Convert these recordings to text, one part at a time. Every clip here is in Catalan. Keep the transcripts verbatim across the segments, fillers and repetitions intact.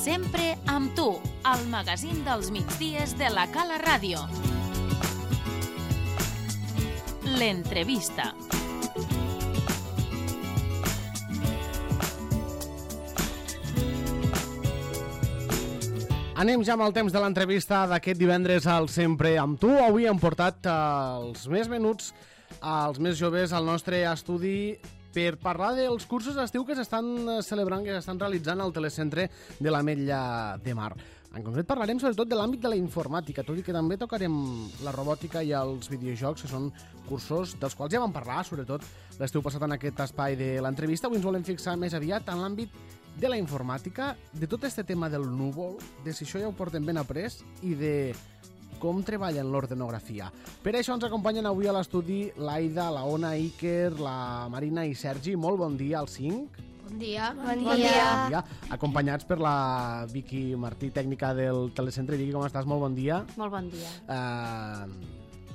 Sempre amb tu, el magazín dels migdies de la Cala Ràdio. L'entrevista. Anem ja amb el temps de l'entrevista d'aquest divendres al Sempre amb tu. Avui hem portat els més menuts, els més joves al nostre estudi per parlar dels cursos d'estiu que s'estan celebrant, que s'estan realitzant al telecentre de l'Ametlla de Mar. En concret parlarem sobretot de l'àmbit de la informàtica, tot i que també tocarem la robòtica i els videojocs, que són cursos dels quals ja vam parlar, sobretot l'estiu passat en aquest espai de l'entrevista. Avui ens volem fixar més aviat en l'àmbit de la informàtica, de tot este tema del núvol, de si això ja ho portem ben après i de com treballen l'ordenografia. Per això ens acompanyen avui a l'estudi l'Aida, la Ona, Iker, la Marina i Sergi. Molt bon dia als cinc. Bon dia. Bon dia. Bon dia. Bon dia. Acompanyats per la Vicky Martí, tècnica del telecentre. Vicky, com estàs? Molt bon dia. Molt bon dia. Uh,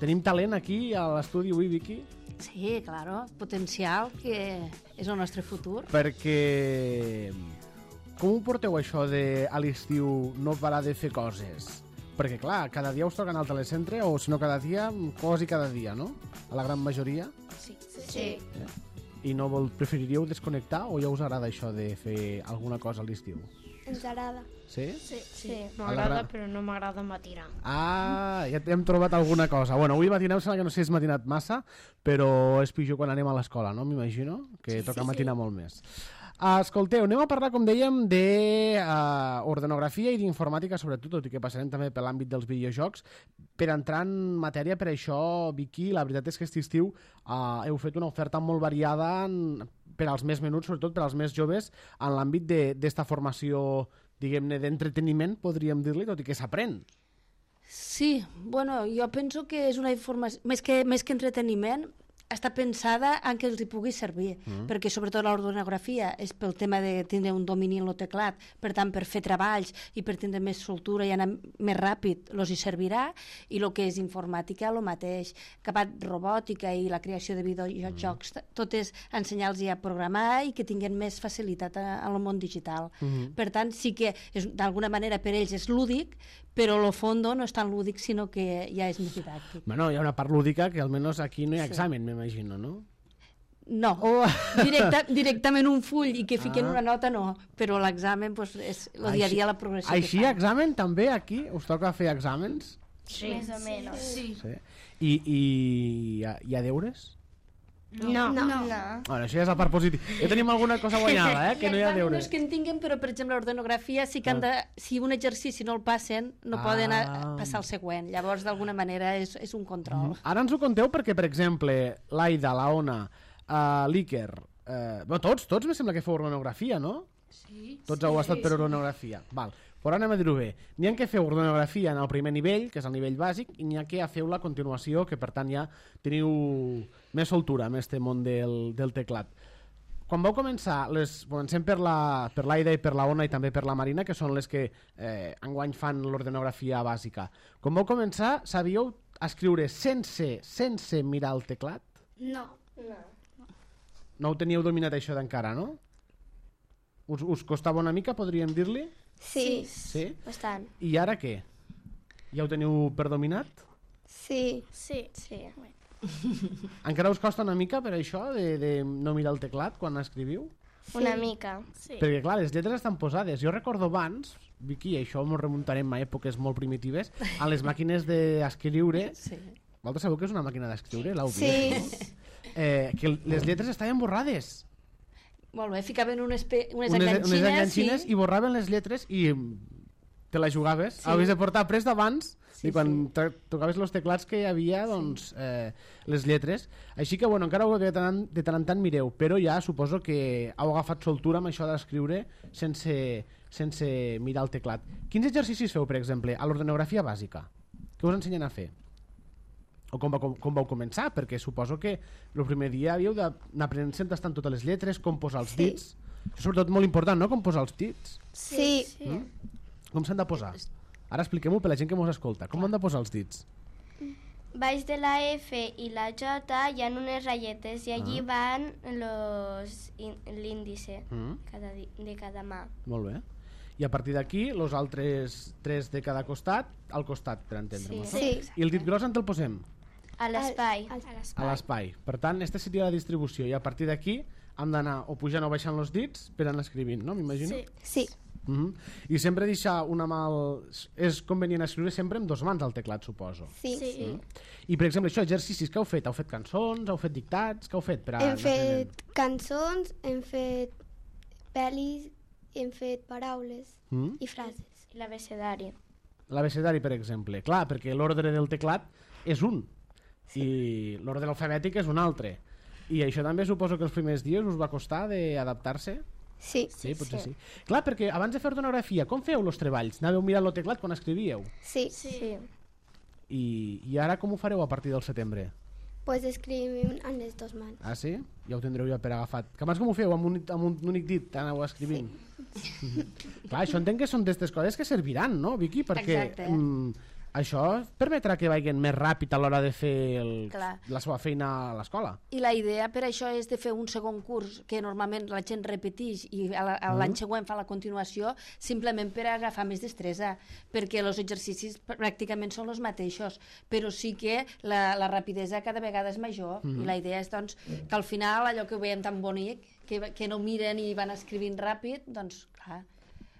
tenim talent aquí a l'estudi avui, Vicky? Sí, claro, potencial, que és el nostre futur. Perquè com ho porteu això de a l'estiu no parar de fer coses? Perquè clar, cada dia us toca anar al telecentre, o si no cada dia, quasi cada dia, no? A la gran majoria. Sí. sí. Eh? I no vol, preferiríeu desconnectar o ja us agrada això de fer alguna cosa a l'estiu? Ens agrada. Sí? Sí, sí. Sí. M'agrada, però no m'agrada matinar. Ah, ja hem trobat alguna cosa. Bueno, avui matinar em sembla que no sé si és matinat massa, però és pitjor quan anem a l'escola, no? M'imagino que Sí, toca sí, matinar sí. molt més. Uh, escolteu, anem a parlar, com dèiem, d'ordenografia uh, i d'informàtica, sobretot, tot i que passarem també per l'àmbit dels videojocs. Per entrar en matèria, per això, Vicky, la veritat és que aquest estiu uh, heu fet una oferta molt variada en, per als més menuts, sobretot per als més joves, en l'àmbit d'esta formació, diguem-ne, d'entreteniment, podríem dir-li, tot i que s'aprèn. Sí, bueno, jo penso que és una informació, més que, més que entreteniment, està pensada en què els hi pugui servir, mm. perquè sobretot l'ordenografia és pel tema de tindre un domini en el teclat, per tant per fer treballs i per tindre més soltura i anar més ràpid els hi servirà, i el que és informàtica el mateix, acabat robòtica i la creació de videojocs, mm. tot és ensenyar-los a programar i que tinguin més facilitat en el món digital. Mm. Per tant, sí que d'alguna manera per ells és lúdic, però el fons no és tan lúdic, sinó que ja és més didàctic. Bueno, hi ha una part lúdica que almenys aquí no hi ha sí. examen, m'imagino, no? No, oh. Directa, directament un full i que fiquen ah. una nota no, però l'examen pues, és el dia a dia la progressió. Així examen també aquí? Us toca fer exàmens? Sí, més o menys. Sí. sí. I, i hi, ha, hi ha deures? No. No. no. no. Bueno, això ja és la part positiva. Ja tenim alguna cosa guanyada, eh? Que no hi ha deures. No és que en tinguin, però per exemple l'ordenografia sí que han de, si un exercici no el passen, no ah. poden a, passar al següent. Llavors d'alguna manera és, és un control. Mm. Ara ens ho conteu perquè, per exemple, l'Aida, la Ona, uh, l'Iker, uh, bueno, tots, tots me sembla que feu ordenografia, no? Sí. Tots sí, heu estat per sí. ordenografia. Val. Però anem a dir-ho bé. N'hi ha que feu ordenografia en el primer nivell, que és el nivell bàsic, i n'hi ha que feu la continuació, que per tant ja teniu més soltura amb este món del, del teclat. Quan vau començar, les, comencem per la, per l'Aida i per la Ona i també per la Marina, que són les que eh, enguany fan l'ordenografia bàsica. Quan vau començar, sabíeu escriure sense, sense mirar el teclat? No. No. No ho teníeu dominat això d'encara, no? Us, us costava una mica, podríem dir-li? Sí. Sí? Bastant. I ara què? Ja ho teniu per dominat? Sí. Sí. Sí. Encara us costa una mica per això de, de no mirar el teclat quan escriviu? Sí. Una mica. Sí. Perquè clar, les lletres estan posades. Jo recordo abans, Vicky, i això ens remuntarem a èpoques molt primitives, a les màquines d'escriure. Sí. Vosaltres sabeu que és una màquina d'escriure? L'heu vist? Sí. No? Eh, que les lletres estaven borrades. Molt bé, ficaven unes, pe... unes, unes enganxines, unes enganxines i... i borraven les lletres i te la jugaves. Sí. Havies de portar prest d'abans sí, i quan sí. tocaves els teclats que hi havia doncs, eh, les lletres. Així que bueno, encara ho que de tant, de tant en tant mireu, però ja suposo que heu agafat soltura amb això d'escriure sense, sense mirar el teclat. Quins exercicis feu, per exemple, a l'ordenografia bàsica? Què us ensenyen a fer? O com, va, com, com vau començar? Perquè suposo que el primer dia havíeu d'anar aprenent tastant totes les lletres, com posar els dits. Sí. Això és sobretot molt important, no?, com posar els dits. Sí. sí. Mm? Com s'han de posar? Ara expliquem-ho per la gent que mos escolta. Com han de posar els dits? Baix de la F i la J hi ha unes ratlletes i allí ah. van los l'índice mm. cada, de cada mà. Molt bé. I a partir d'aquí, els altres tres de cada costat, al costat, per entendre'm. Sí. No? I el dit gros on te'l posem? A l'espai. A l'espai. Per tant, aquesta seria la distribució. I a partir d'aquí hem d'anar o pujant o baixant els dits per anar escrivint, no? M'imagino? Sí. Uh -huh. I sempre deixar una mà... Al... És convenient escriure sempre amb dos mans al teclat, suposo. Sí. sí. Uh -huh. I, per exemple, això, exercicis que heu fet? Heu fet cançons? Heu fet dictats? Què heu fet? Per a Hem fet cançons, hem fet pel·lis, hem fet paraules Mm? i frases. I l'abecedari. L'abecedari, per exemple. Clar, perquè l'ordre del teclat és un. Sí. I l'ordre alfabètic és un altre. I això també suposo que els primers dies us va costar d'adaptar-se? Sí. Sí, potser sí. sí. Clar, perquè abans de fer ortografia, com feu els treballs? Anàveu mirant el teclat quan escrivíeu? Sí. Sí. I, I ara com ho fareu a partir del setembre? Pues escrivim amb les dues mans. Ah, sí? Ja ho tindreu ja per agafat. Que abans com ho feu? Amb un, amb un únic dit aneu escrivint? Sí. Clar, això entenc que són d'aquestes coses que serviran, no, Vicky? Perquè Exacte. mm, això permetrà que vagin més ràpid a l'hora de fer el, Clar. la seva feina a l'escola. I la idea per això és de fer un segon curs que normalment la gent repeteix i a la- a l'any següent fa la continuació simplement per agafar més destresa, perquè els exercicis pràcticament són els mateixos, però sí que la, la rapidesa cada vegada és major i la idea és doncs, que al final allò que ho veiem tan bonic, que, que no miren i van escrivint ràpid, doncs clar,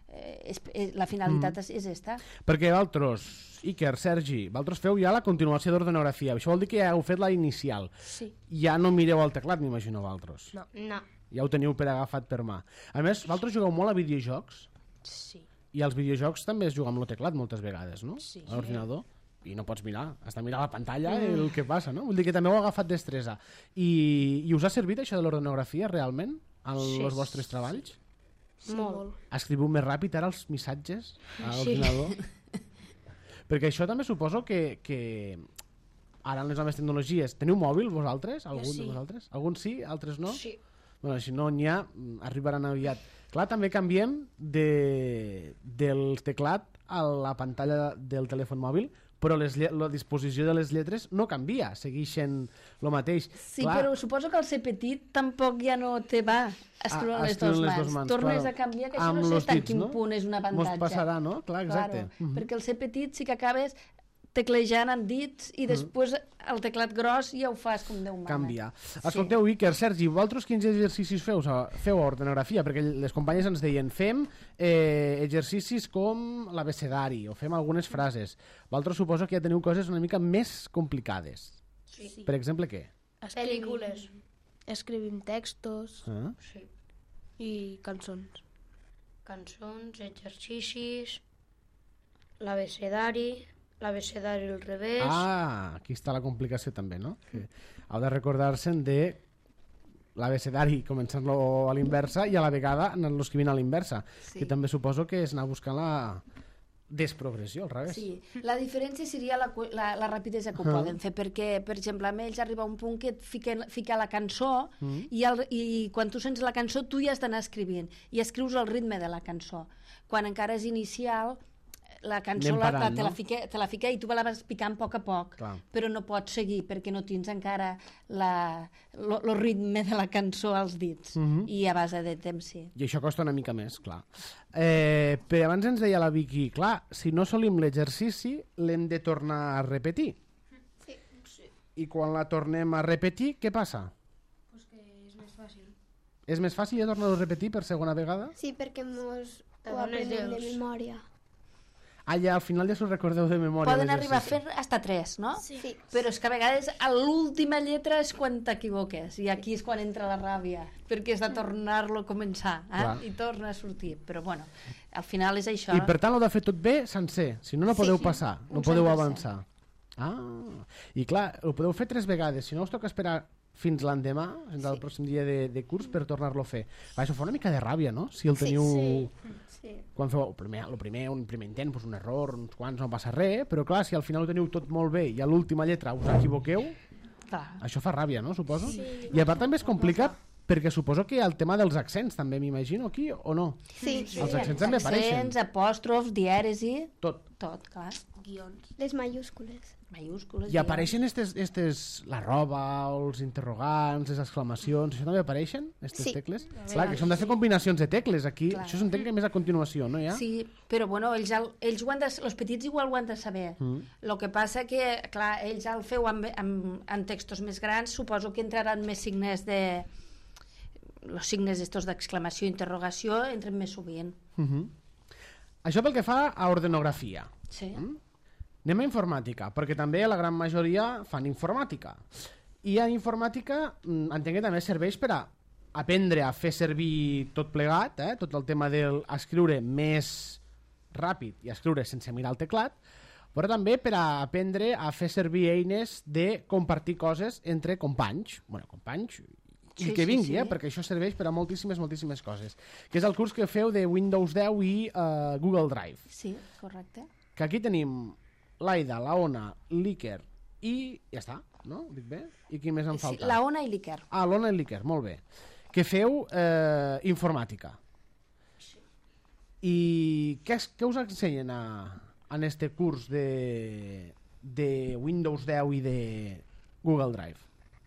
eh, és, és, la finalitat és, és esta. Perquè vosaltres, Iker, Sergi, vosaltres feu ja la continuació d'ortografia. Això vol dir que ja heu fet la inicial. Sí. Ja no mireu al teclat, m'imagino, vosaltres. No. No. Ja ho teniu per agafat per mà. A més, vosaltres jugueu molt a videojocs Sí. i als videojocs també es juga amb el teclat moltes vegades, no? Sí. A l'ordinador. I no pots mirar, has de mirar la pantalla i el que passa, no? Vull dir que també heu agafat destresa. I, i us ha servit això de l'ortografia realment en Sí. els vostres treballs? Sí, molt. Escriviu més ràpid ara els missatges a l'ordinador? Perquè això també suposo que, que ara en les noves tecnologies... Teniu mòbil vosaltres? Algun sí. de vosaltres? Alguns sí, altres no? Sí. Bueno, si no n'hi ha, arribaran aviat. Clar, també canviem de, del teclat a la pantalla del telèfon mòbil, però les, lle- la disposició de les lletres no canvia, segueixen el mateix. Sí, Clar, però suposo que el ser petit tampoc ja no te va escriure a- amb a les escriure dues amb les mans. dues mans, Tornes claro. a canviar, que això Amb no sé los hasta dits, quin no? punt és un Mos avantatge. passarà, no? Clar, exacte. Claro, Mhm. perquè el ser petit sí que acabes teclejant amb dits i després el teclat gros ja ho fas com Déu mana. Canviar. Escolteu, Iker, Sergi, vosaltres quins exercicis feu, a- feu a ortografia? Perquè les companyes ens deien fem eh, exercicis com l'abecedari o fem algunes frases. Vosaltres suposo que ja teniu coses una mica més complicades. Sí. Per exemple, què? Pel·lícules. Escrivim textos Ah? i cançons. Cançons, exercicis, l'abecedari, l'abecedari al revés... Ah, aquí està la complicació també, no? Que heu de recordar-se'n de l'abecedari començant-lo a l'inversa i a la vegada anar-lo escrivint a l'inversa, Sí. que també suposo que és anar buscant la desprogressió, al revés. Sí, la diferència seria la, cu- la, la rapidesa que ho Ah. poden fer, perquè, per exemple, amb ells arriba un punt que et fiquen, fica la cançó Mm. i, el, i quan tu sents la cançó tu ja has d'anar escrivint i escrius el ritme de la cançó. Quan encara és inicial, la cançó Anem la, parant, la, te, no? la fica, te la fica i tu la vas picant a poc a poc, Clar. però no pots seguir perquè no tens encara la, lo, lo ritme de la cançó als dits. Mhm. I a base de temps, sí. I això costa una mica més, clar. Eh, però abans ens deia la Vicky, clar, si no solim l'exercici, l'hem de tornar a repetir. Sí. I quan la tornem a repetir, què passa? Pues que és més fàcil. És més fàcil ja tornar-ho a repetir per segona vegada? Sí, perquè mos Te ho dones aprenem de lleus. memòria. Ah, ja, al final ja s'ho recordeu de memòria. Poden arribar a l'exercici. fer hasta tres, no? Sí. Però és que a vegades a l'última lletra és quan t'equivoques i aquí és quan entra la ràbia perquè has de tornar-lo a començar eh? Clar. i torna a sortir, però bueno al final és això. I per tant ho de fer tot bé sencer, si no no podeu Sí, passar, no un podeu cent per cent. avançar. Ah, i clar, ho podeu fer tres vegades, si no us toca esperar fins l'endemà, fins al pròxim dia de, de curs per tornar-lo a fer. Va, això fa una mica de ràbia, no? Si el teniu... Sí. Sí. Quan feu el primer, el primer, un primer intent, doncs un error, uns quants, no passa res, però clar, si al final ho teniu tot molt bé i a l'última lletra us equivoqueu, Clar. això fa ràbia, no? Suposo? Sí. I a part també és complicat perquè suposo que hi ha el tema dels accents també, m'imagino, aquí, o no? Sí. Els accents també apareixen. Accents, apòstrofs, dièresi... Tot. tot, clar. Guions. Les mayúscules. Mayúscules. I apareixen estes, estes, la roba, els interrogants, les exclamacions, això també apareixen, aquestes Sí. tecles? A Clar, que vegades això hem de fer sí. combinacions de tecles, aquí, Clar. això s'entén que més a continuació, no, ja? Sí, però bueno, ells, el- ells ho han de, els petits igual ho han de saber. Mm. El que passa que, clar, ells el feu amb, amb, amb textos més grans, suposo que entraran més signes de... Els signes estos d'exclamació i interrogació entren més sovint. Uh -huh. Això pel que fa a ordenografia. Sí. Mm? Anem a informàtica, perquè també la gran majoria fan informàtica. I a informàtica mm, entenc que també serveix per a aprendre a fer servir tot plegat, eh? Tot el tema d'escriure més ràpid i escriure sense mirar el teclat, però també per a aprendre a fer servir eines de compartir coses entre companys, bueno, companys i Sí, que sí, vingui, sí. eh? Perquè això serveix per a moltíssimes, moltíssimes coses. Que és el curs que feu de Windows deu i uh, Google Drive. Sí, correcte. Que aquí tenim l'Aida, la Ona, l'Iker i ja està, no? Dic bé? I qui més em Sí, falta? la Ona i l'Iker. Ah, l'Ona i l'Iker, molt bé. Que feu eh, informàtica. I què, es- què us ensenyen a, en este curs de, de Windows deu i de Google Drive?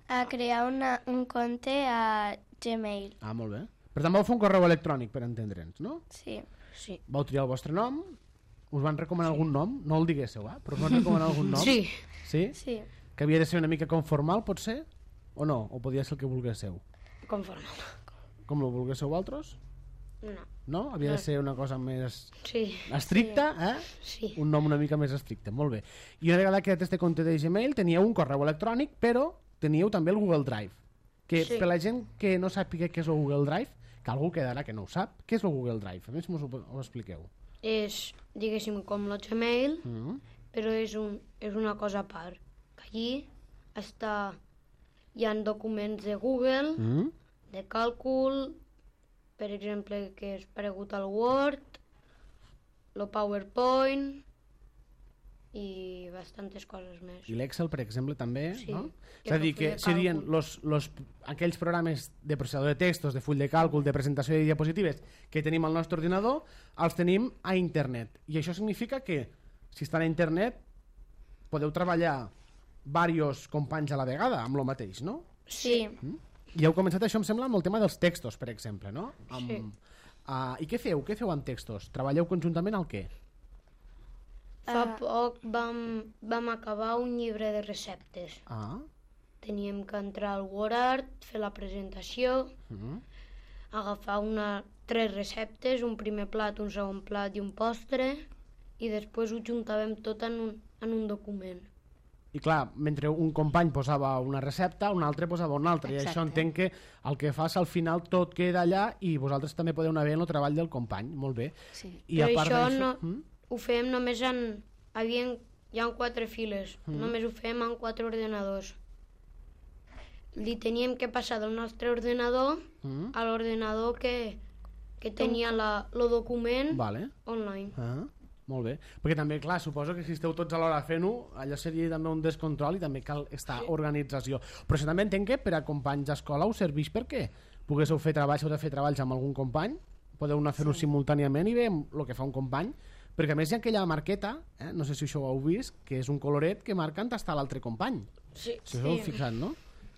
A crear una, un compte a Gmail. Ah, molt bé. Per tant, vau fer un correu electrònic, per entendre'ns, no? Sí. Sí. Vau triar el vostre nom, us van recomanar algun nom, no el diguéssiu, eh? Però us van recomanar algun nom? Sí. Sí? Sí. Que havia de ser una mica conformal, pot ser? O no? O podia ser el que volguéssiu? Conforme. Com lo volguéssiu vosaltres? No. No? Havia de ser una cosa més Sí. estricta, eh? Sí. Un nom una mica més estricte, molt bé. I una vegada creat este compte de Gmail, teníeu un correu electrònic, però teníeu també el Google Drive. Que Sí. per la gent que no sàpiga què és el Google Drive, que algú quedarà que no ho sap, què és el Google Drive? A més, mos ho, ho expliqueu. És, diguéssim, com el Gmail, Mm. però és, un, és una cosa a part. Que allí està, hi ha documents de Google, Mm. de càlcul, per exemple, que és paregut al Word, el PowerPoint i bastantes coses més. I l'Excel, per exemple, també, Sí, no? que És a és dir, el que full de serien càlcul. los, los, aquells programes de processador de textos, de full de càlcul, de presentació de diapositives que tenim al nostre ordinador, els tenim a internet. I això significa que, si estan a internet, podeu treballar diversos companys a la vegada amb el mateix, no? Sí. I heu començat això, em sembla, amb el tema dels textos, per exemple, no? Amb, Sí. Uh, I què feu? Què feu amb textos? Treballeu conjuntament al què? Fa poc vam, vam acabar un llibre de receptes. Ah, Teníem que entrar al WordArt, fer la presentació, mm. agafar una, tres receptes, un primer plat, un segon plat i un postre, i després ho juntàvem tot en un, en un document. I clar, mentre un company posava una recepta, un altre posava una altra. I Exacte. això entenc que el que fas al final tot queda allà i vosaltres també podeu anar bé en el treball del company. Molt bé. Sí. I Però a part això d'això... no, Mm? ho fèiem només en... Havien, hi ha quatre files, Mm. només ho fèiem en quatre ordenadors. Li teníem que passar del nostre ordenador Mm? a l'ordenador que, que tenia la, el document Vale. online. Ah, molt bé. Perquè també, clar, suposo que si esteu tots alhora fent-ho, allò seria també un descontrol i també cal estar sí. organització. Però això també entenc que per a companys d'escola us serveix perquè poguéssiu fer treballs, heu de fer treballs amb algun company, podeu anar a fer-ho sí. simultàniament i veiem el que fa un company, perquè a més hi ha aquella marqueta, eh? No sé si això ho heu vist, que és un coloret que marca on està l'altre company. Sí, Si us heu fixat, no?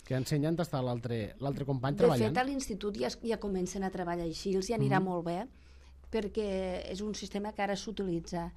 Que ensenya on està l'altre l'altre company De treballant. fet, a l'institut ja, es- ja comencen a treballar així, els hi anirà Mhm. molt bé, perquè és un sistema que ara s'utilitza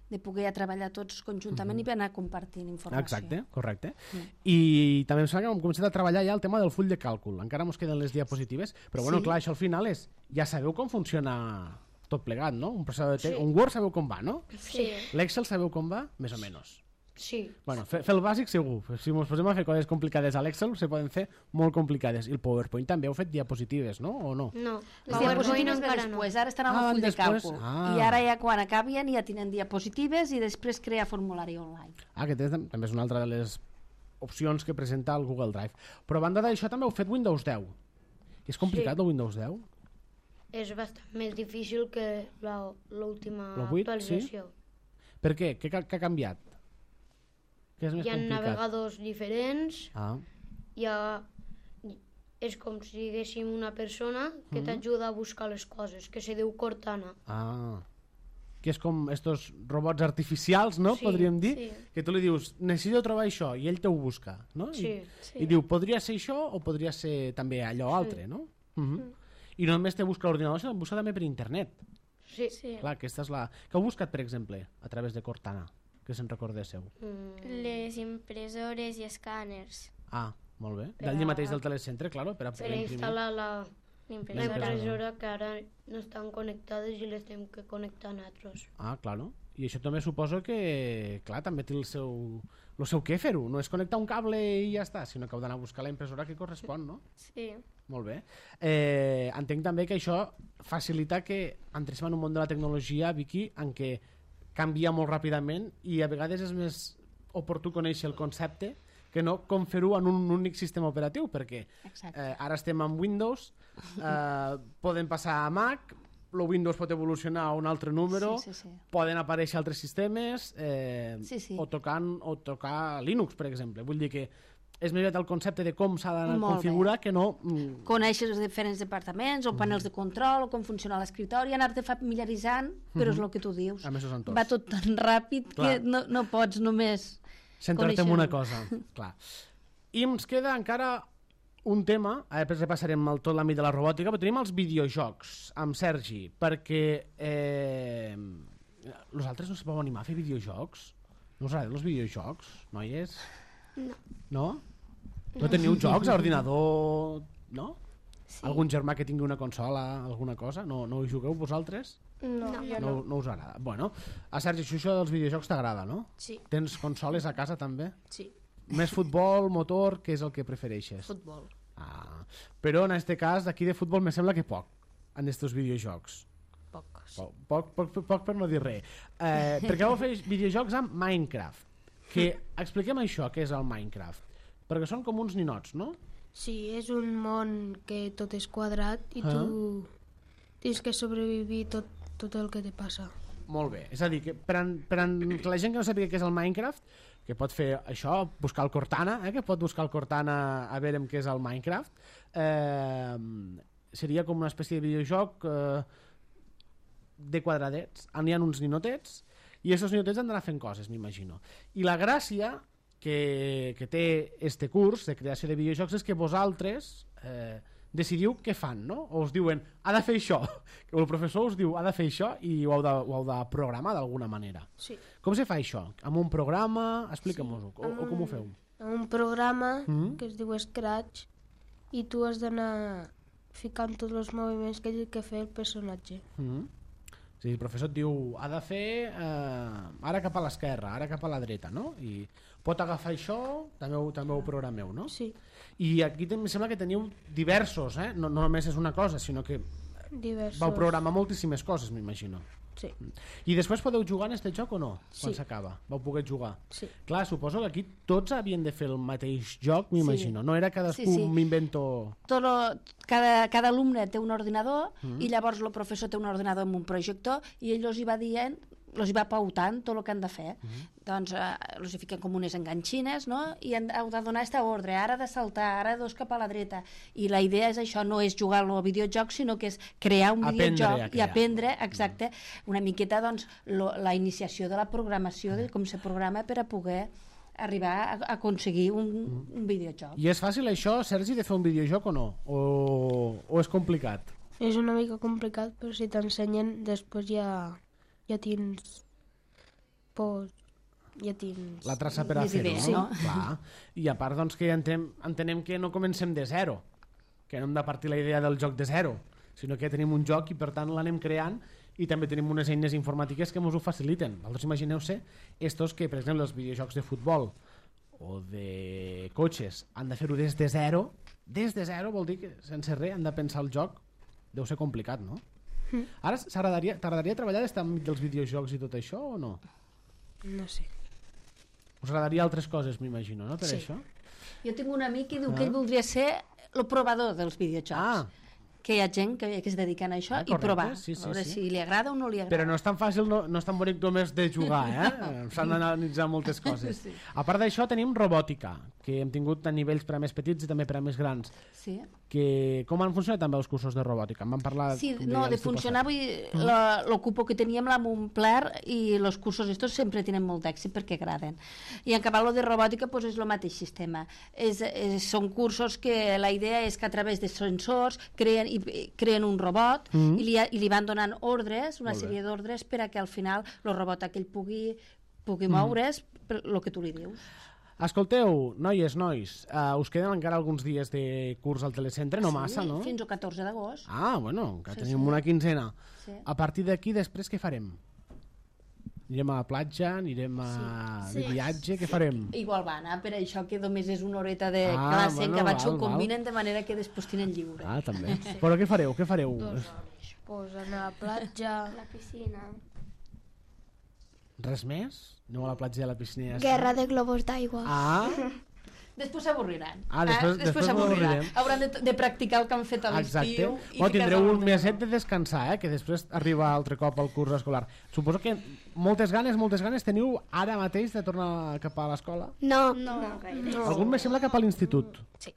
de poder treballar tots conjuntament i anar compartint informació. Exacte, correcte. I també em sembla que hem començat a treballar ja el tema del full de càlcul. Encara ens queden les diapositives, però bueno, Sí. clar, això al final és... Ja sabeu com funciona tot plegat, no? Un processador de text, un Word sabeu com va, no? Sí. L'Excel sabeu com va? Més o menys. Sí, Bueno, fer, fer el bàsic segur. Si ens posem a fer coses complicades a l'Excel, se poden fer molt complicades. I el PowerPoint també heu fet diapositives, no? O no? no. Les PowerPoint diapositives ve encara després, no. ara estan amb Ah, el van full de després? càlcul. Ah. I ara ja quan acabien ja tenen diapositives i després crear formulari online. Ah, que també és una altra de les opcions que presenta el Google Drive. Però a banda d'això també heu fet Windows deu. I és complicat Sí. el Windows deu? És bastant més difícil que la- l'última Lo vuit, actualització. Per què? Què, què ha canviat? Què és més Hi ha complicat? navegadors diferents, Ah, hi ha... és com si diguéssim una persona que Mhm. t'ajuda a buscar les coses, que se diu Cortana. ah. que és com estos robots artificials, no? Sí, Podríem dir, sí. que tu li dius, necessito trobar això, i ell te ho busca, no? Sí. I, Sí. I diu, podria ser això o podria ser també allò altre, no? Uh -huh. I no només te busca l'ordinador, sinó que busca també per internet. Sí. Sí. Clar, aquesta és la... Què heu buscat, per exemple, a través de Cortana? Que se'n recordéssiu. Mm, Les impressores i escàners. Ah, molt bé. Per D'allí a- mateix del telecentre, claro, per a per poder imprimir. instal·lar la, la L'impressora. impressora que ara no estan connectades i les tenim que connectar nosaltres. Ah, claro. I això també suposo que, clar, també té el seu, el seu què fer-ho. No és connectar un cable i ja està, sinó que heu d'anar a buscar la impressora que correspon, no? Sí. Molt bé. Eh, entenc també que això facilita que entrem en un món de la tecnologia, Vicky, en què canvia molt ràpidament i a vegades és més oportú conèixer el concepte que no com fer-ho en un únic sistema operatiu, perquè Exacte. eh, ara estem amb Windows, eh, poden passar a Mac, el Windows pot evolucionar a un altre número, Sí, sí, sí. poden aparèixer altres sistemes, eh, Sí, sí. o, tocant, o tocar Linux, per exemple. Vull dir que és més aviat el concepte de com s'ha d'anar a Molt configurar que no... Mm, Conèixer els diferents departaments, o panels de control, o com funciona l'escriptori, anar-te familiaritzant, però és el que tu dius. amb aquests entorns. Va tot tan ràpid Clar. que no, no pots només centrar-te en una conèixer-ho. cosa, clar. I ens queda encara un tema, ara després repassarem el, tot l'àmbit de la robòtica, però tenim els videojocs amb Sergi, perquè eh, nosaltres no se podem animar a fer videojocs? No us agraden els videojocs, noies? No. No? No teniu jocs a ordinador, no? Sí. Algun germà que tingui una consola, alguna cosa? No, no hi jugueu vosaltres? No, No. jo No, no. no us agrada. Bueno, a Sergi, això, això dels videojocs t'agrada, no? Sí, Tens consoles a casa també? sí. Més futbol, motor, què és el que prefereixes? Futbol. Ah, però en aquest cas, d'aquí de futbol me sembla que poc, en estos videojocs. Poc. Sí. Poc, poc, poc, poc per no dir res. Eh, perquè vau fer videojocs amb Minecraft. Que expliquem això, què és el Minecraft. Perquè són com uns ninots, no? Sí, és un món que tot és quadrat i Ah. tu tens que sobrevivir tot, tot el que te passa. Molt bé. És a dir, que per, an, per an, que la gent que no sàpiga què és el Minecraft, que pot fer això, buscar el Cortana, eh, que pot buscar el Cortana a veure què és el Minecraft, eh, seria com una espècie de videojoc eh, de quadradets, on hi ha uns ninotets, i aquests ninotets han d'anar fent coses, m'imagino. I la gràcia que, que té este curs de creació de videojocs és que vosaltres eh, decidiu què fan, no? O us diuen, ha de fer això, que el professor us diu, ha de fer això, i ho heu de, ho heu de programar d'alguna manera. Sí. Com se fa això? Amb un programa? Explica'm-ho, o, o com ho feu? Amb un programa Mm. que es diu Scratch i tu has d'anar ficant tots els moviments que té que fer el personatge. Mm. O sigui, el professor et diu, ha de fer eh, ara cap a l'esquerra, ara cap a la dreta, no? I pot agafar això, també ho, també ho programeu, no? Sí, I aquí em sembla que teniu diversos, eh? No, no només és una cosa, sinó que diversos. vau programar moltíssimes coses, m'imagino. Sí, I després podeu jugar en este joc o no? Quan Sí. s'acaba, vau poder jugar. sí. Clar, suposo que aquí tots havien de fer el mateix joc, m'imagino. No era cadascú Sí, sí. m'invento... tot lo, cada, cada alumne té un ordinador mm. i llavors el professor té un ordinador amb un projector i ell els hi va dient, els hi va pautant tot el que han de fer. Mm. Doncs eh, els hi fiquen com unes enganxines, no? I han, heu de donar aquesta ordre, ara de saltar, ara dos cap a la dreta. I la idea és això, no és jugar al videojoc, sinó que és crear un Aprendre a videojoc i crear. aprendre, exacte, una miqueta doncs, lo, la iniciació de la programació, de com se programa per a poder arribar a, a aconseguir un, un videojoc. I és fàcil això, Sergi, de fer un videojoc o no? O, o és complicat? És una mica complicat, però si t'ensenyen després ja, ja tens... Pues, ja tens... La traça per a Més fer-ho, idees, no? no? Clar. I a part, doncs, que entenem, entenem que no comencem de zero, que no hem de partir la idea del joc de zero, sinó que tenim un joc i, per tant, l'anem creant i també tenim unes eines informàtiques que ens ho faciliten. Vosaltres imagineu-se estos que, per exemple, els videojocs de futbol o de cotxes han de fer-ho des de zero. Des de zero vol dir que sense res han de pensar el joc. Deu ser complicat, no? Mm. Ara s'agradaria- t'agradaria treballar des dels videojocs i tot això o no? No sé. Us agradaria altres coses, m'imagino, no? Per Sí. això? Jo tinc un amic que diu Ah. que ell voldria ser el provador dels videojocs. Ah. Que hi ha gent que, que es dediquen a això Ah, i correcte, provar, sí, sí, a veure sí. si li agrada o no li agrada. Però no és tan fàcil, no, no és tan bonic només de jugar, eh? S'han d'analitzar moltes coses. Sí. A part d'això tenim robòtica, que hem tingut a nivells per a més petits i també per a més grans. Sí. que com han funcionat també els cursos de robòtica? En vam parlar... Sí, com no, deia, de l'estiu funcionar, passat. vull dir, la- l'ocupo que teníem la Montclar i els cursos estos sempre tenen molt d'èxit perquè agraden. I en canvi, lo de robòtica pues, és el mateix sistema. És, és, són cursos que la idea és que a través de sensors creen, i, creen un robot Mm. i, li, i li van donant ordres, una Molt bé. sèrie d'ordres per a que al final el robot aquell pugui, pugui moure's per el que tu li dius. Escolteu, noies, nois, uh, us queden encara alguns dies de curs al telecentre, no massa, Sí, no? fins al catorze d'agost. Ah, bueno, que Sí, tenim sí. una quinzena. Sí. A partir d'aquí, després, què farem? Anirem a la platja, anirem a Sí. de viatge, què farem? Igual va anar, per això que només és una horeta de Ah, classe bueno, que abans val, ho combinen de manera que després tenen lliure. Ah, també. Però què fareu, què fareu? Pues anar a la platja... La piscina. Res més? Aneu a la platja i a la piscina? i ja està? Guerra de globus d'aigua. Ah, Després s'avorriran. Ah, després- eh? després s'avorriran. s'avorriran. Hauran de, de practicar el que han fet a exacte. l'estiu. i Bueno, tindreu ficar-se un a meset l'ordinador. de descansar, eh? Que després arriba altre cop el curs escolar. Suposo que moltes ganes, moltes ganes teniu ara mateix de tornar cap a l'escola? No, No, no gaire. Algun me sembla cap a l'institut. Sí.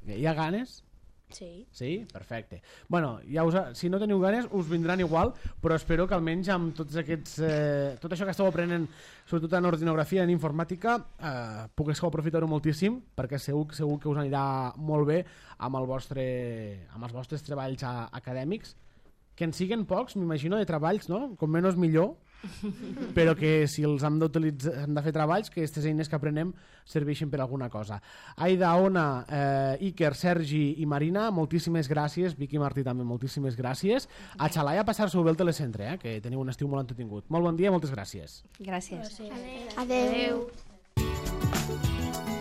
Hi ha ganes? Sí. Sí? Perfecte. Bueno, ja us, si no teniu ganes, us vindran igual, però espero que almenys amb tots aquests, eh, tot això que esteu aprenent, sobretot en ordinografia, en informàtica, eh, pugueu aprofitar-ho moltíssim, perquè segur, segur que us anirà molt bé amb, el vostre, amb els vostres treballs a, acadèmics, que en siguen pocs, m'imagino, de treballs, no? Com menys millor, però que si els hem d'utilitzar, hem de fer treballs, que aquestes eines que aprenem serveixin per alguna cosa. Aida, Ona, eh, Iker, Sergi i Marina, moltíssimes gràcies. Vicky i Martí també, moltíssimes gràcies. A Xalai a passar-s'ho bé al telecentre, eh, que teniu un estiu molt entretingut. Molt bon dia, moltes gràcies. Gràcies. adeu. Adeu.